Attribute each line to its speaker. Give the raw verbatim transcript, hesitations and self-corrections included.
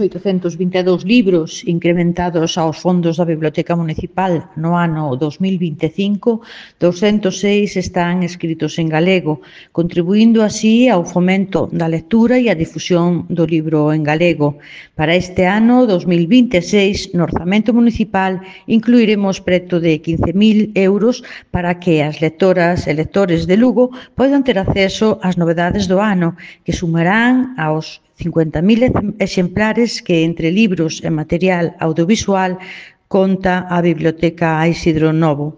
Speaker 1: oitocentos vinte e dous libros incrementados aos fondos da Biblioteca Municipal no ano dos mil vinte e cinco, douscentos e seis están escritos en galego, contribuindo así ao fomento da lectura e a difusión do libro en galego. Para este ano dos mil vinte e seis, no orzamento municipal, incluiremos preto de quince mil euros para que as lectoras e lectores de Lugo poidan ter acceso ás novedades do ano, que sumarán aos cincuenta mil exemplares que, entre libros e material audiovisual, conta a Biblioteca Isidro Novo.